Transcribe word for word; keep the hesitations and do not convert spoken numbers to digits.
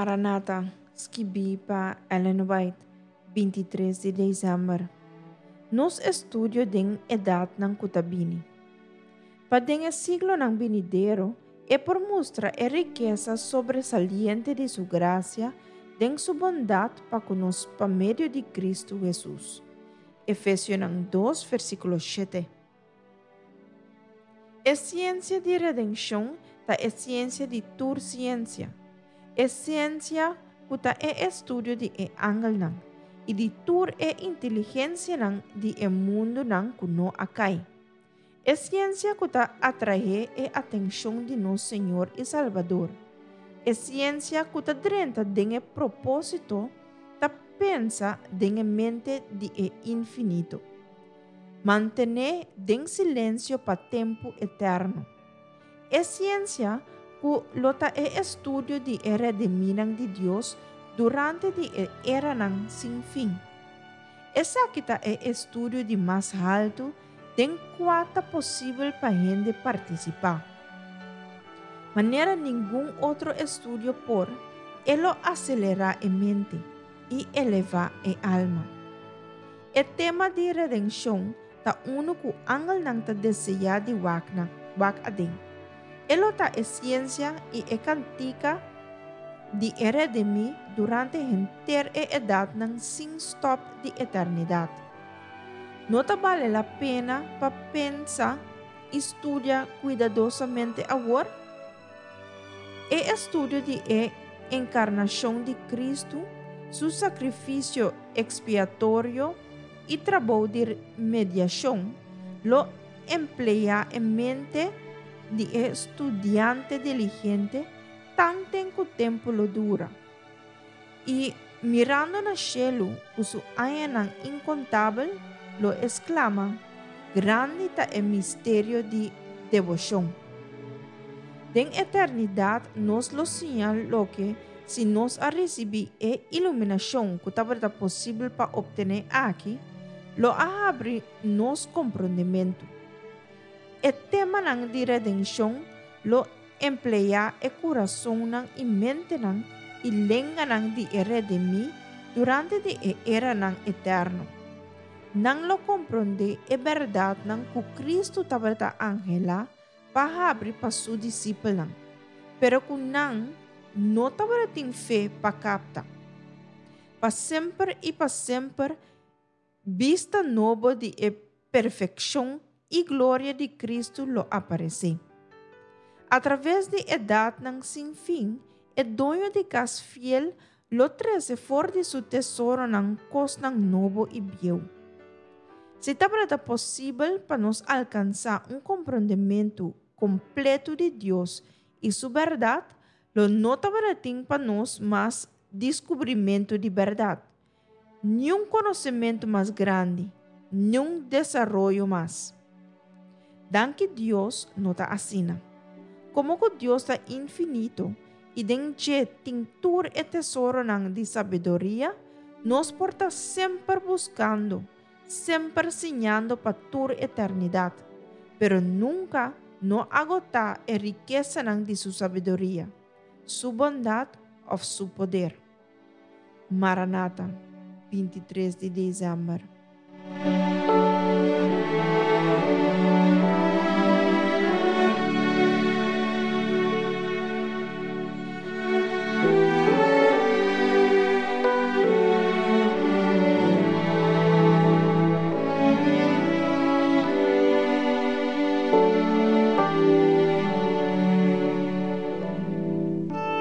Maranata, skibí pa Ellen White, bintitres di desèmber. Nos estudio den edatnan ku ta bini. Pa den e siglonan binidero e por mustra e rikesa sobresaliente di su grasia den su bondat pa ku nos pa medio di Kristu Hesus. Efesionan dos versíkulo shete. E siensia di redenshon ta e siensia di tur siensia. E siensia ku ta e estudio di e angelnan i di tur e inteligensianan di e mundunan ku no a kai. E siensia ku ta atraé e atenshon di nos Señor i Salbador. E siensia ku ta drenta den e propósito ta pensa den e mente di e infinito. Mantené den silensio pa tempu eterno. E siensia ku lo ta e estudio di e redimínan di Dios durante di e eranan sin fin. Esaki ta e estudio di mas haltu den kua ta posibel pa hende partisipá. Manera ningun otro estudio por, e lo aselerá e mente i elevá e alma. E tema di redenshon ta unu ku angelnan ta deseá di wak na, wak aden. E lo ta e siensia i e kantika di e redimí durante henter e edatnan sin stòp di eternidat. No ta bale la pena pa pensa i studia kuidadosamente awor? E estudio di e enkarnashon di Kristu, su sakrifisio ekspiatorio i trabou di mediashon lo empleá e mente di e studiante diligente tanten ku tempu lo dura. I mirando na shelu ku su añanan inkontabel, lo esklama, Grandi ta e misterio di deboshon. Den eternidat nos lo siña loke si nos a risibí e iluminashon ku tabata posibel pa optené aki, lo a habri nos komprondementu. E temanan di redenshon lo empleá e kurasonnan i mentenan i lenganan di e redimí durante di e eranan eterno. Nan lo komprondé e bèrdatnan ku Kristu tabata anhelá pa habri pa su disipelnan, pero ku nan no tabatin fe pa kapta. Pa semper i pa semper bista nobo di e perfekshon i gloria di Kristu lo aparesé. Atraves di edatnan sin fin, e doño di kas fiel lo trese for di su tesoronan kosnan nobo i bieu. Si tabata posibel pa nos alkansá un komprondementu kompleto di Dios i su bèrdat, lo no tabatin pa nos mas deskubrimentu di bèrdat, niun konosementu mas grandi, niun desaroyo mas. Danki Dios no ta asina. Komo ku Dios ta infinito i den dje tin tur e tesoronan di sabiduria, nos por ta semper buskando, semper siñando pa tur eternidat, pero nunka no agotá e rikesanan di su sabiduria, su bondat òf su poder. Maranata, bintitres di desèmber.